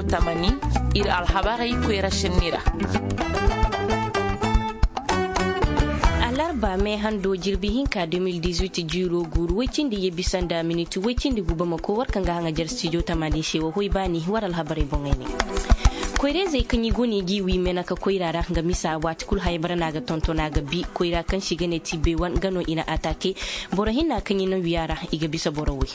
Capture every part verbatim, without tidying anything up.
Tamani, ir alhabarey koyra šenni ra. Alarba me hando jirbi hinka de mil dix-huit jiiro guuru woy cindi ye bisa nda miniti woy cindi gu bamako war kaŋ ga haŋajer stijo tamani se wa hoy baani war alhabarey boŋey ne. Koyra-izey kaŋ i go no i g'i wi menaka koyra ra nga misa waati kulu haya bara no a ga tonton a ga bi koyra kaŋ se i ga ne tibe wan nga no i na atake. Boro hinna kaŋ i na wi a ra i ga bisa boro woy.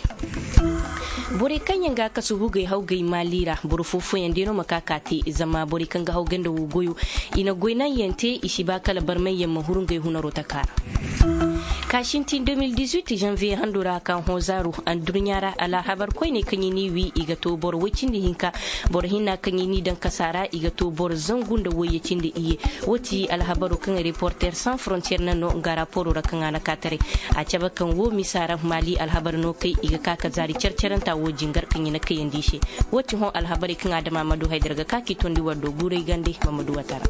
Borey kaŋ yaŋ ga a kasu hugey hawgey maali ra boro foo-fooyaŋ day no ma ka ka te zama borey kaŋ ga hawgey nda woo goyo i na goy naŋyaŋ te i si ba kala barmayyaŋ ma huru ngey hunaroo taka ra. Ka sintin de mil dix-huit zanviye hando ra ka hõ zaaru addurɲa ra alhabar koyney kaŋ i n'i wi i ga to boro woy cindi hinka. Boro hinna kaŋ i n'i daŋ kasa ra i ga to boro zangu nda woyye cindi iyye. Woo ti alhabaroo kaŋ reporter sans frontier na no nga raporoo ra kaŋ a na ka taray. A cabe kaŋ woo misa ra maali alhabar no kay i ga ka ka zaari care-caranta woo jingar kaŋ i na kayandi i se. Woo ti hõ alhabarey kaŋ adama ma du haydar ga ka k'i tondi war do guuray gande ma ma du wata ra.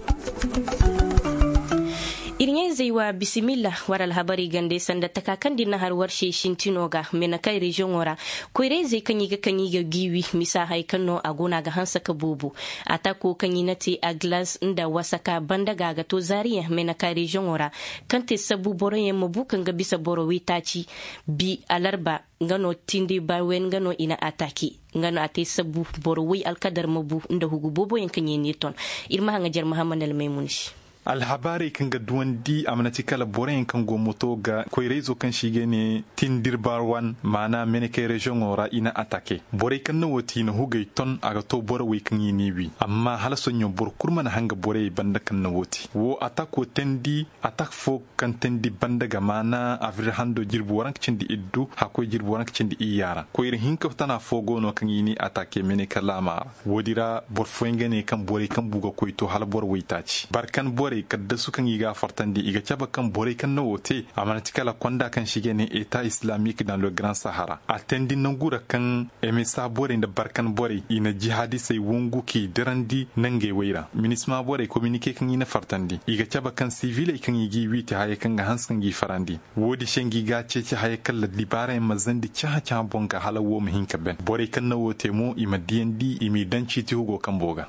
Ir ɲaa-izey wa bisimilla war alhabarey gande sanda taka kaŋ da ir na har war se sintino ga menakay reziyoŋo ra. Koyra-izey kaŋ i ga kaŋ i ga giiwi misa hay kaŋ no a go no a ga hanse ka boobo. Atako kaŋ i na te aglas nda wasaka banda ga a ga to zaariyaŋ menakay reziyoŋo ra kaŋ te sabu boroyaŋ ma bu kaŋ ga bisa boro waytaaci. Bi alarba nga no tindi bawen nga no i na atake. Nga no a te sabu boro way alkadar ma bu nda hugu booboyaŋ kaŋ yaŋ n'i ton. Ir ma haŋajer mahammad almaymun se. Alhabaarey kaŋ ga duwandi a mana ti kala boroyaŋ kaŋ go moto ga koyra-izo kaŋ se i ga ne tindir barwan maana menekey reziyoŋo ra i na atake borey kaŋ na woo te i na hugey ton a ga to boro wey kaŋ i n'i wi amma hala soɲõ boro kul mana hanga borey banda kaŋ na woo te woo atako teendi. Atak foo kaŋ teendi banda ga maana abril hando jirbi waranka cindi iddu hakkoy jirbi waranka cindi iyya ra koyra hinka tana foo go no kaŋ i n'i atake meneka laama ra. Woodi ra boro fooyaŋ ga ne kaŋ borey kaŋ bu ga koy to hala boro waytaaci barkan borey kaddasu kaŋ i ga a fartandi i ga cabe kaŋ borey kaŋ na woo te a mana ti kala konda kaŋ se i ga ne eta islamik dans le grand sahara a teendi nangu ra kaŋ emesa borey nda barkan borey i na jihaadisey wongu k'i dirandi nangey wey ra minisma borey kominike kaŋ i na fartandi i ga cabe kaŋ siviley kaŋ i g'i wiiti hayey kaŋ ga hanse kaŋ g'i farandi. Woodi se ngi ga a ceeci haya kaŋ la dibaarayaŋ ma zandi cahã-cahã boŋ ga hala woo ma hin ka ben borey kaŋ na woo te mo i ma diyandi i m'i daŋ ciiti hugo kambo ga.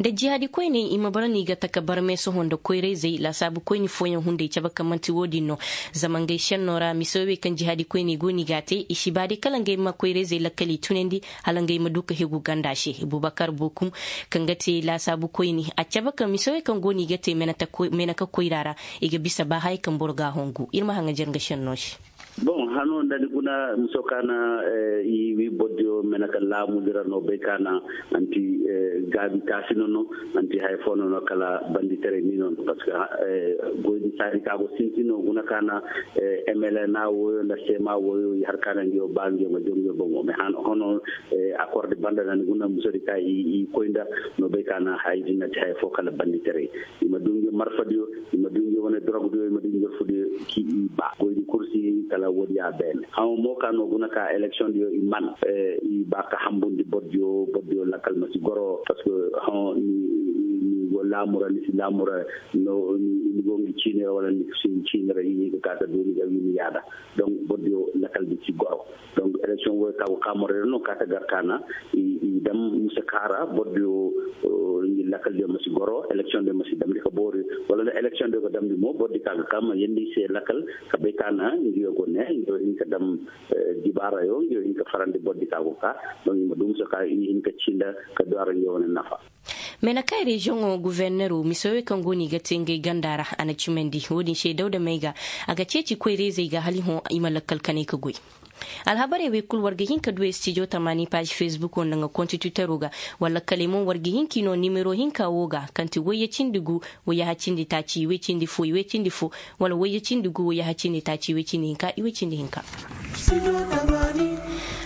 Nda jihaadi koyney i ma bara no i ga taka barmay sohõ nda koyra-izey laasaabu koyni fooyaŋ hunday cabe kaŋ man'ti woodin no. Zama ngey šennoo ra mise wey kaŋ jihaadi koyney go no i g'a te i si ba day kala ngey ma koyra-izey lakkal i tunandi. Hala ngey ma du ka hegu ganda se bubakar bookum kaŋ ga te laasaabu koyni a cabe kaŋ mise wey kaŋ go no i ga te meneka koyra ra. I ga bisa ba haya kaŋ boro g'a hongu ir ma haŋajer nga šennoo se. Boŋ hano nda ni guna miso ka na i wi bordiyo mena ka laamu dira no bay ka na anti gaabi taasi no no anti haya fo no no kala banditaray ni no no parce que goydi saadi ka go sinti no guna ka na mlna woyo nda sema woyo i har ka na ngiyo ba ngiyo ma jongiyo boŋo mais hano hono akorde banda na ni guna miso di ka i koy nda no bay ka na haya di nanti haya fo kala banditaray. I ma du ngi marfadiyo i ma du ngi wane dorogdiyo i ma du ngi jorfudiyo ki i ba goydi kursi kala wodiya beene hamo mo ka no guna ka eleksiondiyo i man i ba ka hambundi bordiyo bordiyo lakkal ma si goro parce que hamo ni go laamura ni si laamura no ni go ngi ciinira wala ni si ciinira i ni ga ka ka du ni ga wi ni yaada. Donc bordiyo lakkal di si goro. Donc eleksion woy ka go ka morey ra no ka ta gar ka na i dam musa ka ra bordiyo ngi lakkal diyo ma si goro eleksion diyo ma si damndi ka boori wala nda eleksion diyo ga damndi mo bordi ka ga ka ma yendi se lakkal ka bay ka na ngiyo go ne ngiyo hin ka dam dibaarayo ngiyo hin ka farandi bordi ka go ka. Donc i ma du musa ka i hin ka cinda ka du a ra ngiyo wane nafa. Menakay reziyoŋo guverneroo mise wey kaŋ go no i ga te ngey ganda ra a na cimandi wo-din se dawda may ga. A ga ceeci koyra-izey ga hala i hõ i ma lakkal kanay ka goy. Alhabarey wey kul war ga hin ka du estijo tamaani paazi fesbukoo nda nga kontititeroo ga. Wala kala ay mo war ga hin k'i noo nimero hinka woo ga kaŋ ti wayye cindi gu wayye haccindi taaci wayye cindi fo wayye cindi fo wala wayye cindi gu wayye haccindi taaci wayye cindi hinka wayye cindi hinka.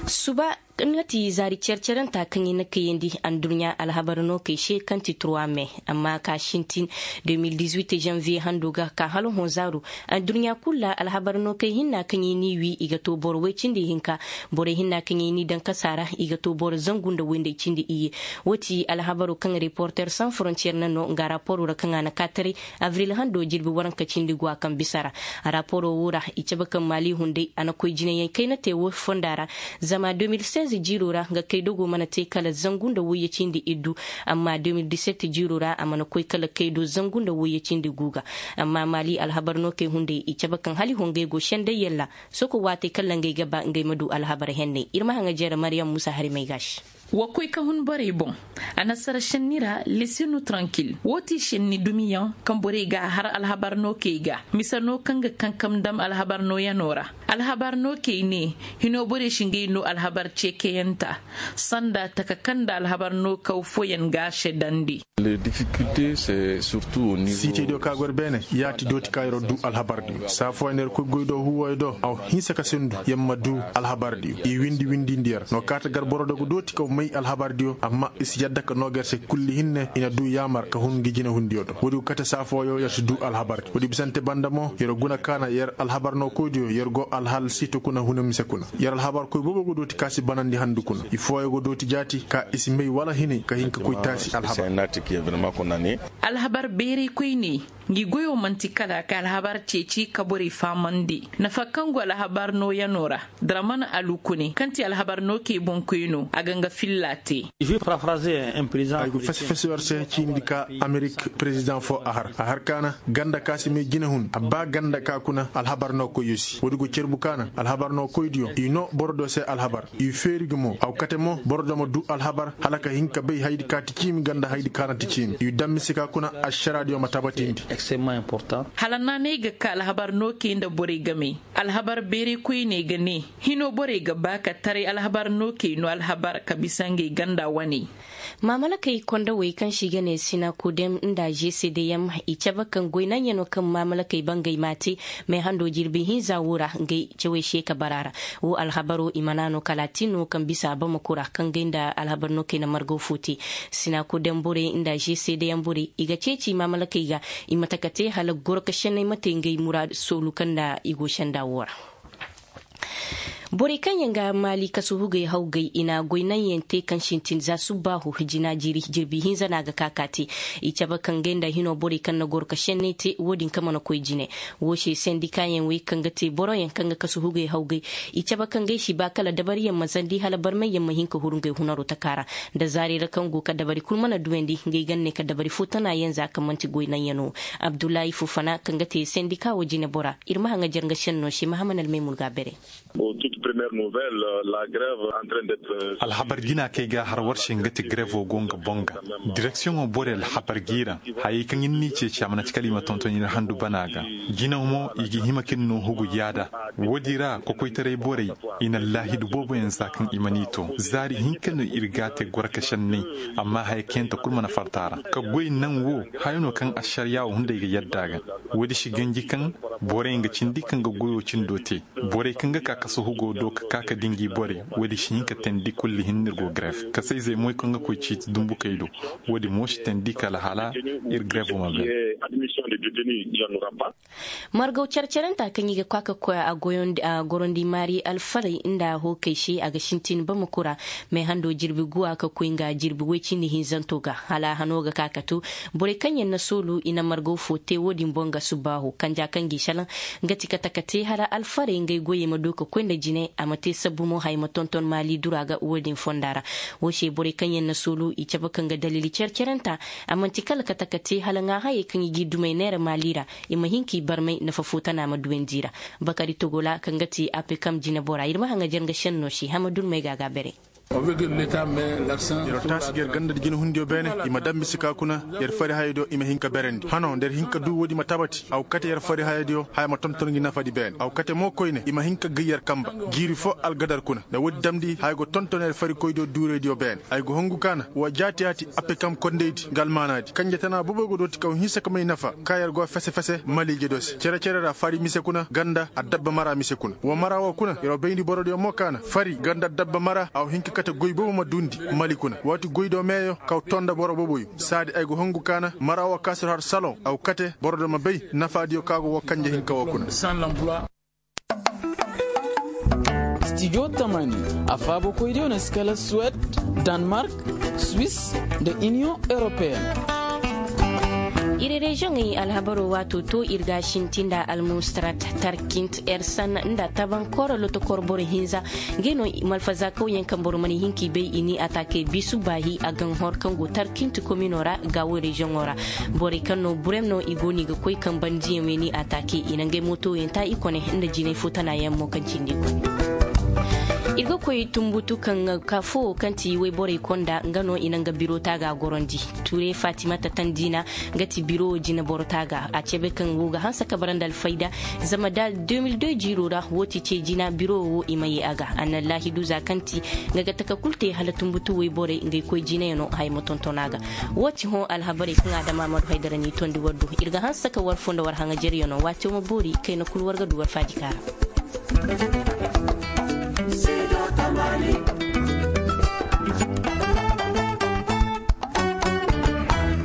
Suba nga ti zaari care-caranta kaŋ i na kayandi andurɲa alhabar nookey se kaŋ ti trois mai. Amma ka sintin deux mille dix-huit janvier hando ga ka hala hõ zaaru andurɲa kulu ra alhabar nookey hinna kaŋ i n'i wi i ga to boro way cindi hinka. Borey hinna kaŋ i n'i daŋ kasa ra i ga to boro zangu nda way nda cindi iyye. Wo ti alhabaro kaŋ reporter sans frontier na no nga raporo ra kaŋ a na ka taray avril hando jirbi waranka cindi go a kaŋ bisa ra. Raporo wo ra i cabe kaŋ maali hunday a na koy jinayaŋ kayna te wo fonda ra. Zama deux mille seize. Jiiro ra nga kaydo go mana te kala zangu nda wayye cindi iddu. Amma de mil diset jiiro ra a mana koy kala kaydo zangu nda wayye cindi gu ga. Amma maali alhabar no kay hunday i cabe kaŋ hala i hongey go senday yalla. Soko waatey kala ngey ga ba ngey ma du alhabar henney ir ma haŋa jere mariyam musa hari may ga se. Wa koy ka hun borey boŋ. Anasara senni ra lesinu trankil wo ti senni dumiyaŋ kaŋ borey ga a har alhabar no kay ga mise no kaŋ ga kankam dam alhabar no yano ra. Alhabar no kay ne hino borey si ngey no alhabar ceekeyanta sanda taka kaŋ nda alhabar no kaw fooyaŋ ga a sedandi. Siitediyo ka gor beene yaati dooti ka yer'o du alhabardiyo saa fooyaŋ yer koy goy do huuwoyo do a wa hinsa ka sendu yer ma du alhabardiyo i windi windindi yer no kaata gar boro do ga dooti ka may alhabardiyo amma i si yadda ka noo ga yer se kulli hinne i na du yaamar ka hun ngi jinehundiyo do woodi go kate saa fooyo yer si du alhabardiyo woodi bisante banda mo yer guna kaana yer alhabar no koydiyo yer go alhal siito kuna huna mise kuna yer alhabar koy boobo go dooti ka si banandi handu kuna i fooyo go dooti jaati ka i si may wala hinay ka hin ka koy taasi alhabar. Alhabar beeray koyney ngi goyo man'ti kala ka alhabar ceeci ka borey fahamandi nafa kaŋ go alhabar nooyanoo ra. Daraman alukune kaŋ ti alhabar nookey boŋkoynoo a ga nga filla te. Ay go fese fese war se ciini di ka amerik perezidaŋ foo a har a har kaana ganda ka si may jinahun a ba ganda ka kuna alhabar nookoyyo se woodi go cerbu kaana alhabar nookoydiyo i noo borodiyo se alhabar i feeri ga mo a go kate mo borodiyo ma du alhabar hala ka hin ka bay hayadi ka ti ciimi ganda hayadi ka na ti ciimi i daŋ mise ka kuna ašaraadiyo ma tabatindi. Hala naanay ga ka alhabar nookey nda borey game alhabar beeray koyney ga ne hino borey ga ba ka taray alhabar nookey no alhabar ka bisa ngey ganda wane. Maamalakey kondawey kaŋ se i ga ne sinakodem nda žesedeyam i cabe kaŋ goy naŋyanoo kaŋ maamalakey bangey m'a te meehando jirbi hinza woo ra ngey cawey se ka bara ra. Woo alhabaro i mana no kala a tin no kaŋ bisa a bamako ra kaŋ gay nda alhabar no kay na margaw fo te. Sinakodem borey nda žesedeyam borey i ga ceeci maamalakey ga i ma taka te hala goro ka senney ma te ngey muraadu soolu kaŋ nda i go senda woo ra. Borey kaŋ yaŋ ga maali kasu hugey hawgay i na goy naŋ yaŋ te kaŋ sintin za subbaahu jina jiiri jirbi hinza no a ga ka ka te. I cabe kaŋ gay nda hino borey kaŋ na goro ka senney te wo-din ka mana koy jine. Woo se sendika yaŋ wey kaŋ ga te boro yaŋ kaŋ ga kasu hugey hawgay i cabe kaŋ gay si ba kala dabari yaŋ ma zandi hala barmay yaŋ ma hin ka huru ngey hunaro taka ra. Nda zaari ra kaŋ go ka dabari kul mana duwandi ngey ga ne ka dabari fo tana yaŋ za kaŋ man'ti goy naŋ yaŋ no. Abdullahi fufana kaŋ ga te sendika wo jine bora ir ma haŋajer nga senno se mahaman almay murga bere. Alhabar jina kaŋ ay ga a har war se nga ti grevo go nga boŋ ga. Direksiyoŋo borey alhabar g'i ra hayey kaŋ ir n'i ceeci a mana ti kala i ma tonton ir handu bana ga. Jinaw mo i ga hima ka ir no hugu yaada. Woodi ra kokoytaray borey i na laahidu booboyaŋ za kaŋ i man'i to zaari hinka no ir g'a te goro ka senney. Amma haya kaŋ yaŋ ta kul mana farta a ra ka goy naŋ wo haya no kaŋ ašariyaa wo hunday ga yadda a ga. Woodi si ganji kaŋ borey nga cindi kaŋ ga goyo cindo te. Borey kaŋ ga ka kasu hugo do ka ka ka dingi borey woodi si hin ka teendi kulli hinne ir go gref kasayzey moy kaŋ ga koy ciiti dumbukey do. Woodi mo si teendi kala hala ir grevo ma bay. Margaw care-carenta kaŋ i ga ka ka koy a gorondi maari alfarey nda hookey se a ga sintin bamako ra. Meehando jirbi guwa ka koy nga jirbi woy cindi hinzanto ga hala a hano ga ka ka to. Borey kaŋ yaŋ na soolu i na margaw fo te wo-din boŋ ga subbaahu kanja kaŋ g'i salaŋ. Nga ti kate ka te hala alfarey ngey goyey ma du ka koy nda jine a ma te sabbu mo haya ma tonton maali dura ga wo-din fonda ra. Wo se borey kaŋ yaŋ na soolu i cabe kaŋ ga daliili care-carenta. A man'ti kala kate ka te hala ŋaahayey kaŋ i g'i dumey neera maali ra. I ma hin k'i barmay nafa fo tana ma duwandi i ra. Bakari togola kaŋ ga ti apekam jinebora ir ma haŋajer nga senno se hama durmey ga ga bere. Yer taasi ga yer ganda nda jinehundiyo beene. I ma daŋ mise ka kuna yer fari hayadiyo i ma hin ka berandi hano nda yer hin ka du woodi ma tabati a go kate yer fari hayadiyo haya ma tonton ngi nafadi beene a go kate mo koyne i ma hin ka gay yer kamba. Jiiri fo algadar kuna nda woodi damndi haya go tonton yer farikoydiyo duuraydiyo beene ay go hongu kaana wa jaati-yaati apekam kondaydi nga almaanaadi kanje tana boboy go dooti kaw hinsa ka may nafa ka yer go fese-fese maliije do se cere-cere ra fari mise kuna ganda addabba mara mise kuna wa mara wo kuna yer wo bayndi borodiyo mo kaana fari ganda addabba mara a wa hin ka kate goy boobo ma duundi mali kuna waati goydo meeyo kaw to nda boro booboyo saadi ay go hongu kaana mara wo ka si har saloŋ a go kate borodiyo ma bay nafaadiyo ka go wo kanje hinka wo kuna. Stijo tamani a faabokoydiyo na si kala suwed, danmark, swis, nda iniyoŋ europeen. Ir reziyoŋey alhabaro waato to ir ga a sinti nda almustarat tarkint ersan nda taban koro lotokor boro hinza. Ngey no malfaza kawyaŋ kaŋ boro mana hin k'i bay i n'i ataake bisu baahi a ga n'hor kaŋ go tarkint komino ra. Gaawo reziyoŋo ra borey kaŋ no burem no i go no i ga koy kaŋ bandiyaŋ wey n'i ataake i na ngey mootoyaŋ ta i kone nda jinay fo tanayaŋ mo kaŋ cindi i kone. Ir ga koy tumbutu kaŋ ka fo kaŋ ti wayborey konda nga no i na nga biro taaga gorondi. Ture fatimata tandiina nga ti biro wo jina boro taaga a cebe kaŋ wo ga hanse ka bara nda alfayda. Zama da de mil de jiiro ra wo ti ce jina biro wo i ma ye a ga a na laahidu za kaŋ ti nga ga taka kulu te hala tumbutu wayborey ngey koy jinayaŋo haya ma tonton a ga. Wo ti hõ alhabarey kaŋ adama ma du haydara n'i tondi war du. Ir ga hanse ka war fo nda war haŋajeryaŋo waati wo ma boori kayna kulu war ga du war faajika ra.